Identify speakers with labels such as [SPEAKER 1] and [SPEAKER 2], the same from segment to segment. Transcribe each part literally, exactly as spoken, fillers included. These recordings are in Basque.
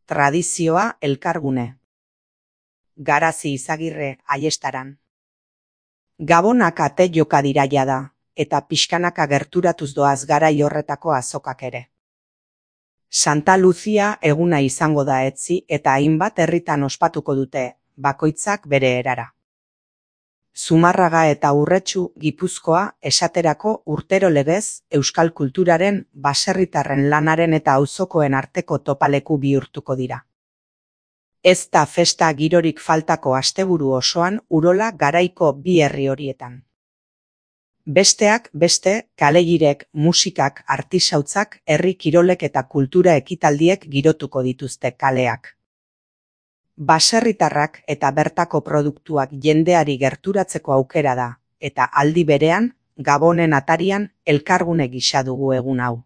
[SPEAKER 1] Tradizioa elkargune. Garazi Izagirre Aiestaran. Gabonak ate joka dira jada, eta pixkanaka gerturatuz doaz garai horretako azokak ere. Santa Lucia eguna izango da etzi eta hainbat herritan ospatuko dute, bakoitzak bere erara. Zumarraga eta Urretxu Gipuzkoa esaterako urtero legez euskal kulturaren, baserritarren lanaren eta auzokoen arteko topaleku bihurtuko dira. Ez da festa girorik faltako asteburu osoan Urola garaiko bi herri horietan. Besteak beste, kalegirek, musikak, artisautzak, herri kirolek eta kultura ekitaldiek girotuko dituzte kaleak. Baserritarrak eta bertako produktuak jendeari gerturatzeko aukera da, eta aldi berean, Gabonen atarian elkargune gisa dugu egun hau.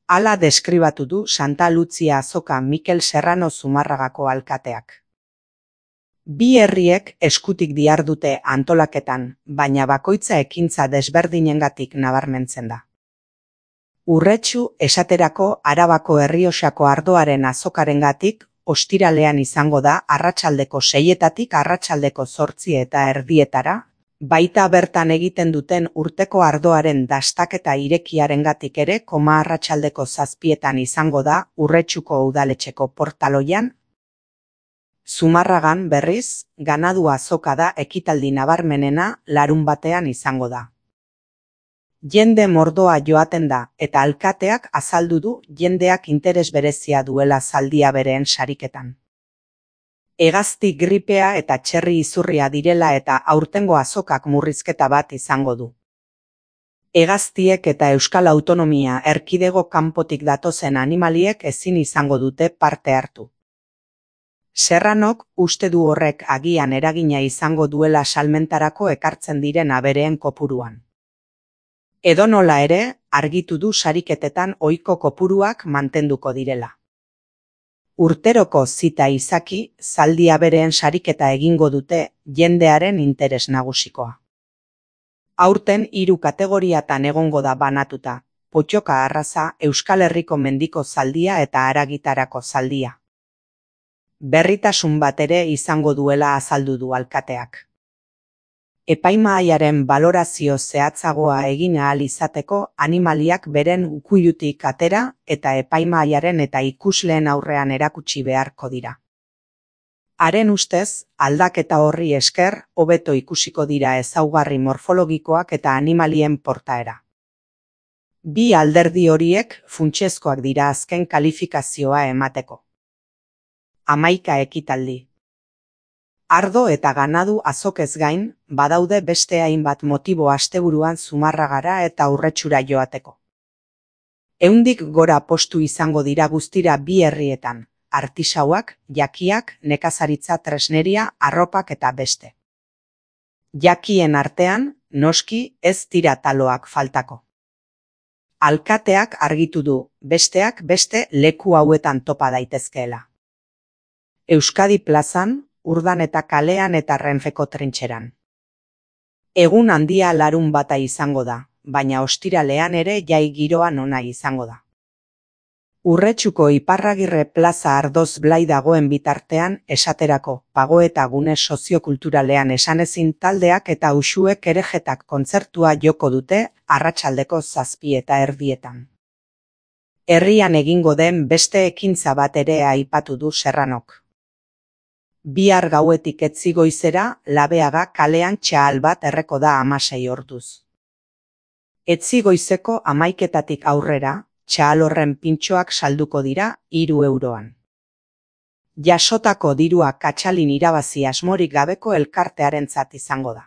[SPEAKER 1] Hala deskribatu du Santa Lucia azoka Mikel Serrano Zumarragako alkateak. Bi herriek eskutik dihardute antolaketan, baina bakoitza ekintza desberdinengatik nabarmentzen da. Urretxu esaterako Arabako Errioxako ardoaren azokarengatik ostiralean izango da arratsaldeko seietatik arratsaldeko zortzi eta erdietara, baita bertan egiten duten urteko ardoaren dastaketa irekiarengatik ere koma arratsaldeko zazpietan izango da Urretxuko udaletxeko portaloian. Zumarragan berriz, ganadu azoka da ekitaldi nabarmenena larunbatean izango da. Jende mordoa joaten da eta alkateak azaldu du jendeak interes berezia duela zaldia bereen sariketan. Hegazti gripea eta txerri izurria direla eta aurtengo azokak murrizketa bat izango du. Hegaztiek eta Euskal Autonomia Erkidego kanpotik datozen animaliek ezin izango dute parte hartu. Serranok uste du horrek agian eragina izango duela salmentarako ekartzen diren abereen kopuruan. Edonola ere, argitu du sariketetan ohiko kopuruak mantenduko direla. Urteroko zita izaki, zaldi abereen sariketa egingo dute jendearen interes nagusikoa. Aurten hiru kategoriatan egongo da banatuta, pottoka arraza, Euskal Herriko mendiko zaldia eta haragitarako zaldia. Berritasun bat ere izango duela azaldu du alkateak. Epaimahaiaren balorazio zehatzagoa egin ahal izateko animaliak beren ukuilutik atera eta epaimahaiaren eta ikusleen aurrean erakutsi beharko dira. Haren ustez, aldaketa horri esker, hobeto ikusiko dira ezaugarri morfologikoak eta animalien portaera. Bi alderdi horiek funtsezkoak dira azken kalifikazioa emateko. Hamaika ekitaldi. Ardo eta ganadu azokez gain, badaude beste hainbat motibo asteburuan Zumarragara eta Urretxura joateko. Ehundik gora postu izango dira guztira bi herrietan, artisauak, jakiak, nekazaritza tresneria, arropak eta beste. Jakien artean, noski ez dira taloak faltako. Alkateak argitu du, besteak beste leku hauetan topa daitezkeela. Euskadi plazan, Urdan eta kalean eta Renfeko trintxeran. Egun handia larun bata izango da, baina ostiralean ere jai giroan ona izango da. Urretxuko Iparragirre plaza ardoz blai dagoen bitartean esaterako pagoeta gune soziokulturalean esanezin taldeak eta uxuek erejetak kontzertua joko dute arratsaldeko zazpi eta erdietan. Herrian egingo den beste ekintza bat ere aipatu du Serranok. Bihar gauetik etzi goizera, Labeaga kalean txahal bat erreko da hamasei orduz. Etzi goizeko hamaiketatik aurrera, txahal horren pintxoak salduko dira hiru euroan. Jasotako dirua katxalin irabazi asmorik gabeko elkartearentzat izango da.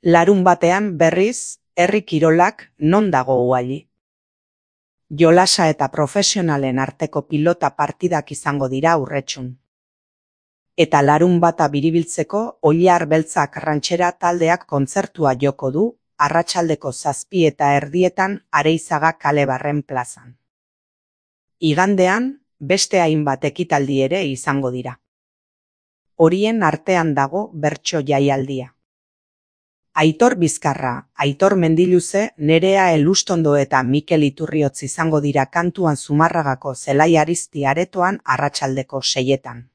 [SPEAKER 1] Larun batean berriz, herri kirolak non dago uali. Jolasa eta profesionalen arteko pilota partidak izango dira Urretxun. Eta larun bata biribiltzeko Oilar Beltzak rantxera taldeak kontzertua joko du, arratsaldeko zazpi eta erdietan Areizaga kale-barren plazan. Igandean, beste hainbat ekitaldi ere izango dira. Horien artean dago bertso jaialdia. Aitor Bizkarra, Aitor Mendiluze, Nerea Elustondo eta Mikel Iturriotz izango dira kantuan Zumarragako Zelai Arizti aretoan arratsaldeko seietan.